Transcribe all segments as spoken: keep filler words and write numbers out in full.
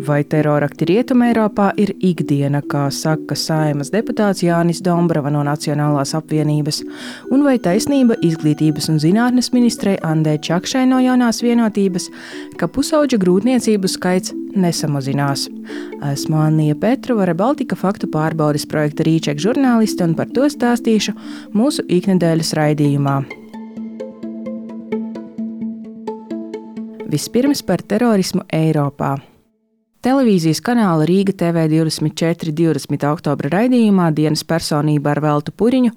Vai terorakti Rietumē Eiropā ir ikdiena, kā saka Saeimas deputāts Jānis Dombrava no Nacionālās apvienības, un vai taisnība izglītības un zinātnes ministrei Andai Čakšai no Jaunās vienotības, ka pusauģa grūtniecību skaits nesamazinās. Esmu Annija Petrova, Rebaltika faktu pārbaudes projekta Rīček žurnāliste, un par to stāstīšu mūsu iknedēļas raidījumā. Vispirms par terorismu Eiropā. Televīzijas kanāla Rīga T V divdesmit četri divdesmit oktobra raidījumā dienas personība ar Veltu Puriņu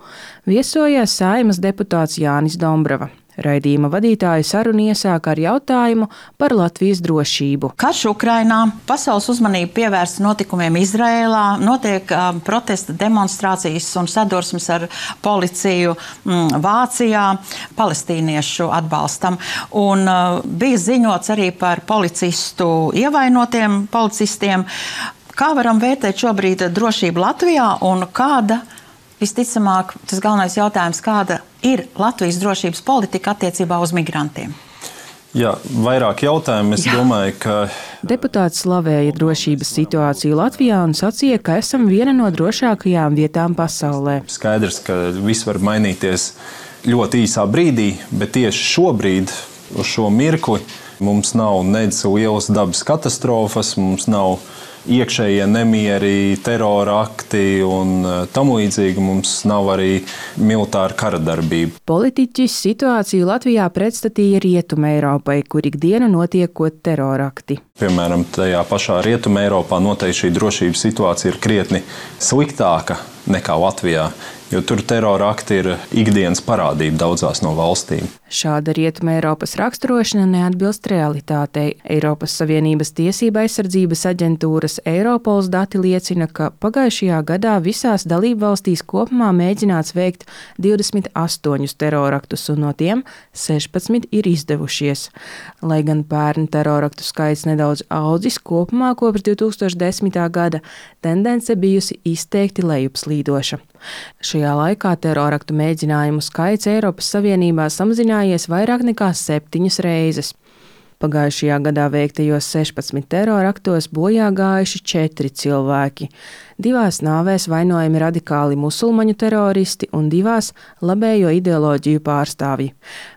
viesojās Saeimas deputāts Jānis Dombrava. Raidījuma vadītāja sarunu iesāka ar jautājumu par Latvijas drošību. Karš Ukrainā, pasaules uzmanība pievērsta notikumiem Izrēlā, notiek uh, protesta demonstrācijas un sadursmes ar policiju mm, Vācijā, palestīniešu atbalstam. Un uh, bija ziņots arī par policistu ievainotiem policistiem. Kā varam vērtēt šobrīd drošību Latvijā un kāda, visticamāk, tas galvenais jautājums, kāda ir Latvijas drošības politika attiecībā uz migrantiem? Jā, vairāk jautājumu. Es Jā. domāju, ka... Deputāts slavēja drošības situāciju Latvijā un sacīja, ka esam viena no drošākajām vietām pasaulē. Skaidrs, ka viss var mainīties ļoti īsā brīdī, bet tieši šobrīd, uz šo mirkli, mums nav nedz lielas dabas katastrofas, mums nav iekšējie nemieri, terora akti un tam līdzīgi, mums nav arī militāra kara darbība. Politiķis situāciju Latvijā pretstatīja Rietumē Eiropai, kur ikdienu notiekot terorakti. Piemēram, tajā pašā Rietumē Eiropā noteikti šī drošības situācija ir krietni sliktāka nekā Latvijā, jo tur terora akti ir ikdienas parādība daudzās no valstīm. Šāda Rietumē Eiropas raksturošana neatbilst realitātei. Eiropas Savienības tiesība aizsardzības aģentūras Eiropols dati liecina, ka pagājušajā gadā visās dalībvalstīs kopumā mēģināts veikt divdesmit astoņus teroraktus, un no tiem sešpadsmit ir izdevušies. Lai gan pērn teroraktu skaits nedaudz audzis, kopumā kopš divi tūkstoši desmitā gada tendence bijusi izteikti lejupslīdoša. Šajā laikā teroraktu mēģinājumu skaits Eiropas Savienībā samazinājies vairāk nekā septiņas reizes. Pagājušajā gadā veiktajos sešpadsmit teroraktos bojā gājuši četri cilvēki. Divās nāvēs vainojami radikāli musulmaņu teroristi un divās labējo ideoloģiju pārstāvji.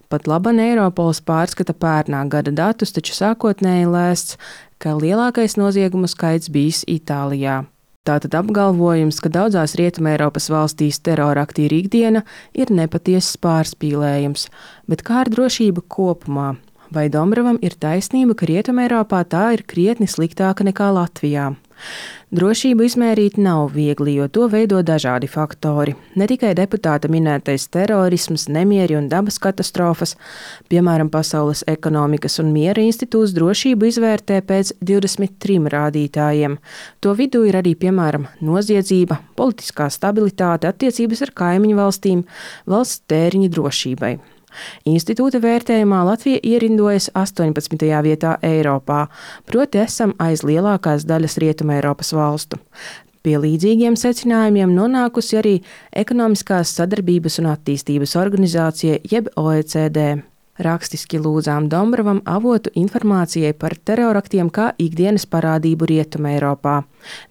Pat laban Eiropols pārskata pērnā gada datus, taču sākotnēji lēsts, ka lielākais noziegumu skaits bijis Itālijā. Tātad apgalvojums, ka daudzās Rietumē Eiropas valstīs terorakti ir ikdiena, ir nepatiesas pārspīlējums. Bet kā ar drošību kopumā? Vai Dombravam ir taisnība, ka Rietumē Eiropā tā ir krietni sliktāka nekā Latvijā? Drošību izmērīt nav viegli, jo to veido dažādi faktori. Ne tikai deputāta minētais terorisms, nemieri un dabas katastrofas, piemēram, Pasaules ekonomikas un miera institūts drošību izvērtē pēc divdesmit trim rādītājiem. To vidū ir arī, piemēram, noziedzība, politiskā stabilitāte, attiecības ar kaimiņu valstīm, valsts tēriņi drošībai. Institūta vērtējumā Latvija ierindojas astoņpadsmitajā vietā Eiropā, proti esam aiz lielākās daļas Rietumē Eiropas valstu. Pie līdzīgiem secinājumiem nonākusi arī Ekonomiskās sadarbības un attīstības organizācija jeb O E C D. Rakstiski lūdzām Dombravam avotu informācijai par teroraktiem kā ikdienas parādību Rietumē Eiropā.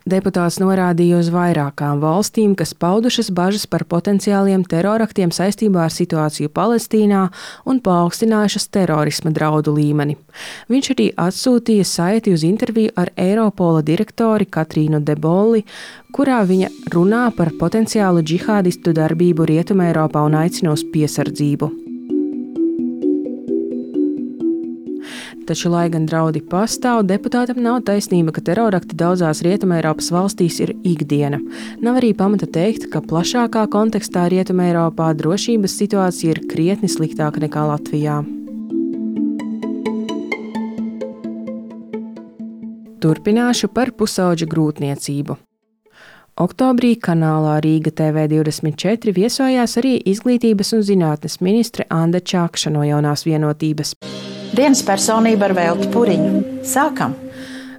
Deputāts norādīja uz vairākām valstīm, kas paudušas bažas par potenciāliem teroraktiem saistībā ar situāciju Palestīnā un paaugstinājušas terorisma draudu līmeni. Viņš arī atsūtīja saiti uz interviju ar Eiropola direktori Katrīnu Debolli, kurā viņa runā par potenciālu džihādistu darbību Rietumē Eiropā un aicina uz piesardzību. Taču, lai gan draudi pastāv, deputātam nav taisnība, ka terorakti daudzās Rietumē Eiropas valstīs ir ikdiena. Nav arī pamata teikt, ka plašākā kontekstā Rietumē Eiropā drošības situācija ir krietni sliktāka nekā Latvijā. Turpināšu par pusauģa grūtniecību. Oktobrī kanālā Rīga T V divdesmit četri viesojās arī izglītības un zinātnes ministre Anda Čakša no Jaunās vienotības. Dienas personība ar Veltu Puriņu. Sākam!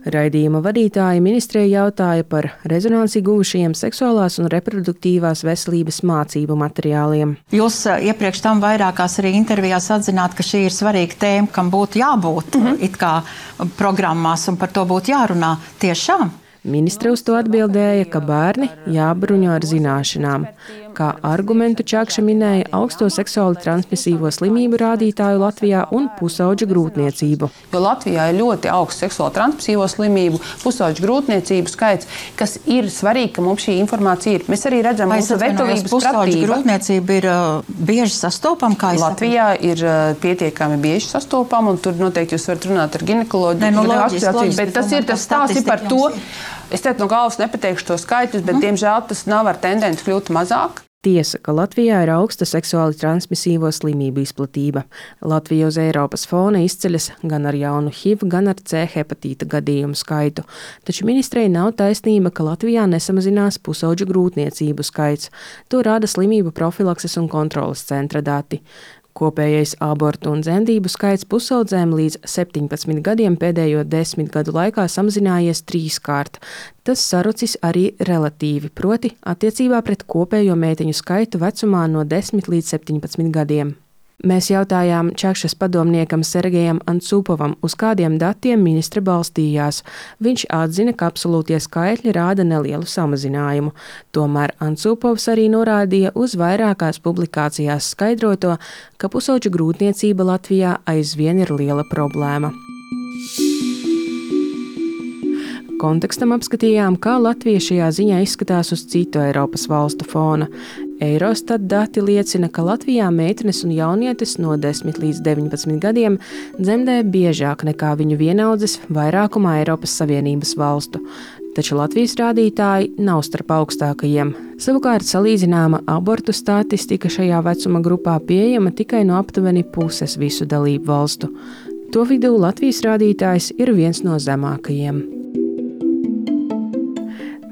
Raidījuma vadītāja ministrei jautāja par rezonanci guvušajiem seksuālās un reproduktīvās veselības mācību materiāliem. Jūs iepriekš tam vairākās arī intervijās atzināt, ka šī ir svarīga tēma, kam būtu jābūt mm-hmm. it kā programmās un par to būtu jārunā tiešām. Ministre uz to atbildēja, ka bērni jābruņo ar zināšanām. Kā argumentu Čakša minēja augsto seksuāli transmisīvo slimību rādītāju Latvijā un pusauģu grūtniecību. Jo Latvijā ir ļoti augsts seksuāli transmisīvo slimību, pusauģu grūtniecību skaits, kas ir svarīgi, ka mums šī informācija ir. Mēs arī redzam, ka mūsu veselības pusauģu grūtniecība ir uh, bieži sastopama. Kā Latvijā ir uh, pietiekami bieži sastopama, un tur noteikti jūs varat runāt ar ginekoloģiju. Ne, no loģiski, loģiski, bet tas ir tas stāsts par to. Es teicu, no galvas nepateikšu to skaitļus, bet, mm. diemžēl, tas nav ar tendenci kļūt mazāk. Tiesa, ka Latvijā ir augsta seksuāli transmisīvo slimību izplatība. Latvija uz Eiropas fona izceļas gan ar jaunu H I V, gan ar C hepatīta gadījumu skaitu. Taču ministrei nav taisnība, ka Latvijā nesamazinās pusauģu grūtniecību skaits. To rāda slimību profilakses un kontroles centra dati. Kopējais abortu un dzemdību skaits pusaudzēm līdz septiņpadsmit gadiem pēdējo desmit gadu laikā samazinājies trīskārt. Tas sarucis arī relatīvi, proti attiecībā pret kopējo meiteņu skaitu vecumā no desmit līdz septiņpadsmit gadiem. Mēs jautājām Čakšas padomniekam Sergejam Ancupovam, uz kādiem datiem ministre balstījās. Viņš atzina, ka absolūtie skaitļi rāda nelielu samazinājumu. Tomēr Ancupovs arī norādīja uz vairākās publikācijās skaidroto, ka pusauģu grūtniecība Latvijā aizvien ir liela problēma. Kontekstam apskatījām, kā Latvija šajā ziņā izskatās uz citu Eiropas valstu fona. Eurostat dati liecina, ka Latvijā meitenes un jaunietes no desmit līdz deviņpadsmit gadiem dzemdē biežāk nekā viņu vienaudzes vairākumā Eiropas Savienības valstu. Taču Latvijas rādītāji nav starp augstākajiem. Savukārt salīdzināma abortu statistika šajā vecuma grupā pieejama tikai no aptuveni puses visu dalību valstu. To vidū Latvijas rādītājs ir viens no zemākajiem.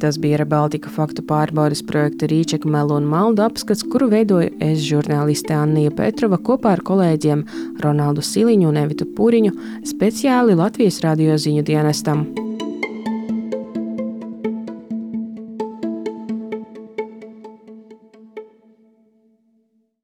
Tas bija Rebaltika faktu pārbaudes projekta Rīčeka melu un maldu apskats, kuru veidoju es, žurnāliste Annija Petrova, kopā ar kolēģiem Ronaldu Siliņu un Evitu Puriņu, speciāli Latvijas radio ziņu dienestam.